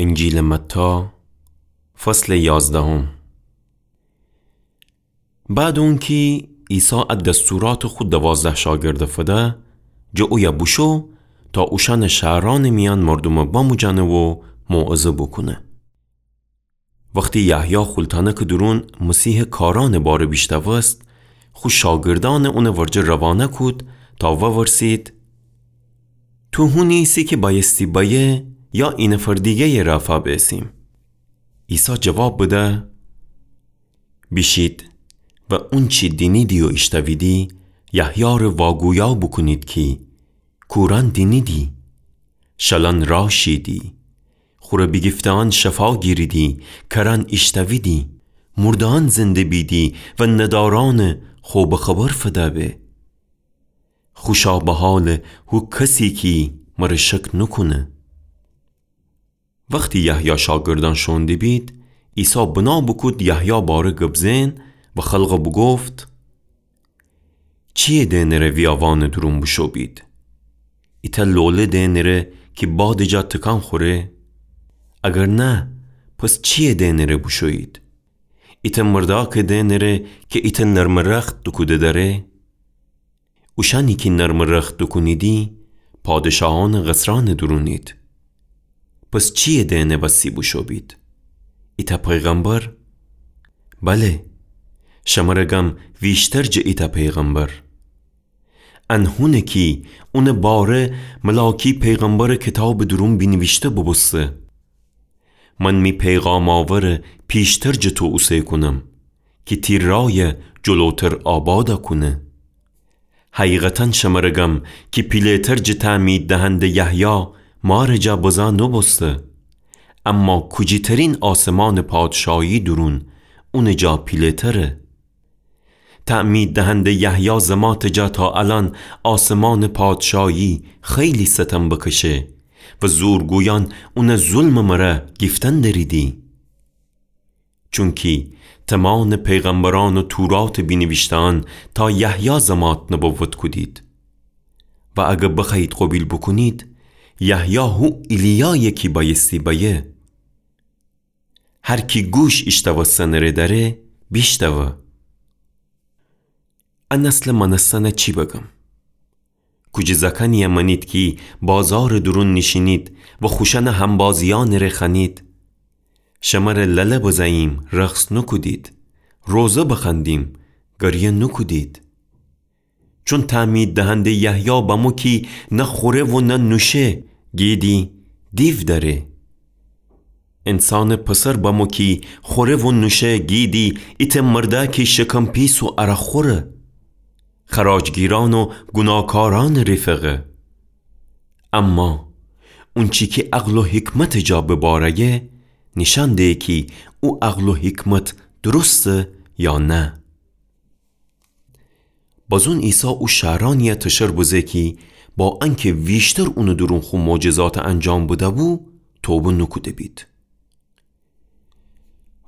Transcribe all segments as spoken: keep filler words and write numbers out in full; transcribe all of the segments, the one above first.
انجیلٚ متی، فصلٚ یازدهم. بعدٚ اونکی عیسی ا دستوراتٚ خو دوازده شاگردٚ فده، جٚه اویه بوشو تا اوشأنٚ شهرأنٚ میأن مردومٚ بموجأنه و موعظه بوکونه. وختی یحیی خولتأنکٚ دورون مسیحٚ کارأنٚ باره بیشتأوست، خو شاگردأنٚ اونٚ ورجه روانه کود تا وورسید: تو هونی ایسی کی بأیستی بأیه، یا اینفر دیگه‌یٚ رأ فأبیسیم؟ عیسی جواب بده: بیشید و اونچی دینیدی و ایشتأویدی، یحیی‌ره واگویا بوکونید کی کورأن دینیدی، شلأن رأ شیدی، خوره بیگیفته‌یأن شفا گیریدی، کرأن ایشتأویدی، مرده‌یأن زنده بیدی و ندارأنٚ خوبٚ خبر فده به. خوشا به حالٚ هو کسی کی مره شک نوکونه. وختی یحیی شاگردأن شوئون دیبید، عیسی بنا بوکود یحیی باره گب زئن و خلقه بوگفت: چییه دئنٚره ویاوانٚ دورون بوشو بید؟ ایتأ لوله دئنٚره کی بادٚ جا تکان خوره؟ اگر نه، پس چییه دئنٚره بوشویید؟ ایتأ مردأکه دئنٚره کی ایتأ نرمٚ رخت دوکوده دأره؟ اوشأنی کی نرمٚ رخت دوکونیدی، پادشاهأنٚ قصرأنٚ دورونید. پس چییه دئنٚ وسی بوشو بید؟ ایتأ پیغمبر؟ بله، شمره گم ویشتر جٚه ایتأ پیغمبر. ان هونه کی اونٚ باره ملاکی پیغمبرٚ کیتابٚ دورون بینیویشته بوبوسته: من می پیغام آوره پیشتر جٚه تو اوسه کونم، کی تی رأیه جلوتر آباده کونه. حقیقتاً شمره گم کی پیله‌تر جٚه تعمید دهنده یحیی مارٚ جا بزه نوبوسته، اما کوجیترین آسمانٚ پادشاهی دورون اونٚ جا پیله‌تره. تعمید دهنده یحیی زماتٚ جا تا الأن آسمانٚ پادشاهی خیلی ستم بکشه و زورگویأن اونه ظلمٚ مره گیفتن دریدی. چونکی تمانٚ پیغمبرأن و توراتٚ بینیویشته‌یأن تا یحیی زمات نبوت کودید. و اگر بخوأیید قوبیل بوکونید، یحیی هو ایلیایه کی بأیستی بأیه. هر کی گوش ایشتأوستنٚ ره دأره، بیشتأوه. ا نسلٚ مأنستنه چی بگم؟ کوجه زأکأنیه مأنید کی بازارٚ دورون نیشینید و خوشأنٚ همبازیأنٚ ره خوأنید: شمره لله بزه‌ییم، رقص نوکودید، روضه بخوأندیم، گریه نوکودید. چون تعمید دهنده یحیی بمو کی نه خوره و نه نوشه، گیدی: دیو دأره. انسانٚ پسر بمو کی خوره و نوشه، گیدی: ایتأ مردأکی شکم پیس و عرق‌خوره، خراجگیرأن و گوناهکارأنٚ رفقه. اما اونچی کی عقل و حکمتٚ جا بباره‌یه، نیشأن دهه کی او عقل و حکمت درسته یا نه. بازون عیسی او شهرأنیه تشر بزه کی با انکه ویشتر اونٚ دورون خو معجزات انجام بده‌بو، توبه نوکوده بید.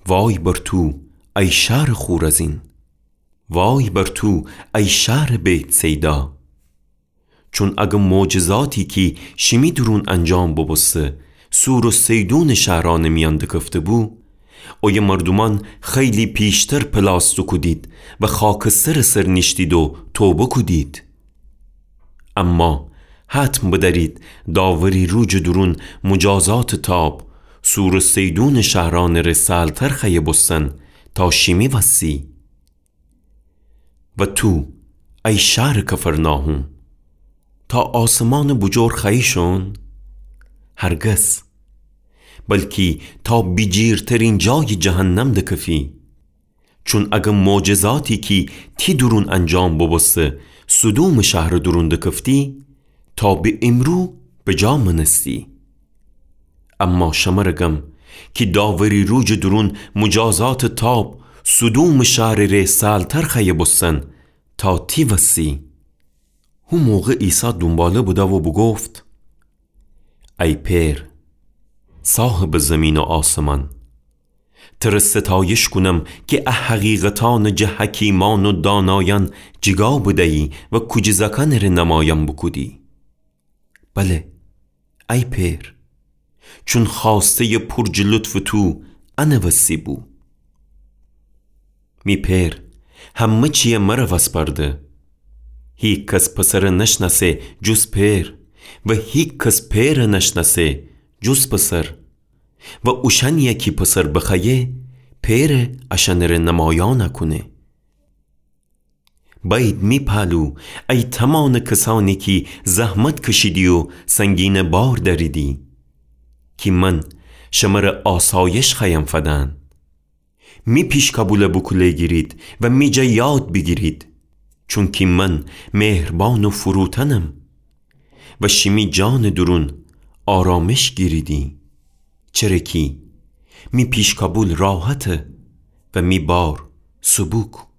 وای بر تو، ای شهرٚ خورزین! وای بر تو، ای شهرٚ بیت‌صیدا! چون اگر معجزاتی کی شیمی دورون انجام ببوسته، صور و صیدونٚ شهرأنٚ میأن دکفته‌بو، اویه مردومأن خیلی پیشتر پلاس دوکودید و خاکسترٚ سر نیشتید و توبه کودید. اما حتم بدأرید داوری روجٚ دورون مجازاتٚ تاب صور و صیدونٚ شهرأنٚ ره سهل‌تر خوأیه بوستن تا شیمی وسی. و تو، ای شهرٚ کفرناحوم، تا آسمانٚ بوجور خوأیی شون؟ هرگز. بلکی تا بیجیرترین جایٚ جهنم دکفی. چون اگر معجزاتی کی تی دورون انجام ببوسته سدومٚ شهرٚ دورون دکفتی، تا به امرو بجا مأنستی. اما شمره گم کی داوری روجٚ دورون مجازاتٚ تاب سدومٚ شهرٚ ره سهل‌تر خوأیه بوستن تا تی وسی. هو موقع عیسی دونباله بده و بوگفت: ای پئر، صاحبٚ زیمین و آسمان، تره ستایش کونم کی ا حقیقتأنٚ جٚه حکیمأن و دانایأن جیگا بدیی و کوجه زأکأنٚ ره نمایأن بوکودی. بله، ای پئر، چون خوأسته‌یٚ پور جٚه لطفٚ تو انٚ وسی بو. می پئر همه چیی مر وسپرده. هیکس پسر نشنأسه جز پئر و هیکس پئر نشنأسه جز پسر و اوشأنیی کی پسر بخوأیه، پئر اشأنٚره نمایأن کونه. بأیید می پالو، ای تومانٚ کسأنی کی زحمت کشیدی و سنگینٚ بار دأریدی، کی من شمره آسایش خوأیم فدن. می پیشکابول بوکوله گیرید و می جا یاد بیگیرید، چونکی من مهربان و فروتنم و شیمی جانٚ دورون آرامش گیریدی. چره کی می پیشکابول راحته و می بار سبوک.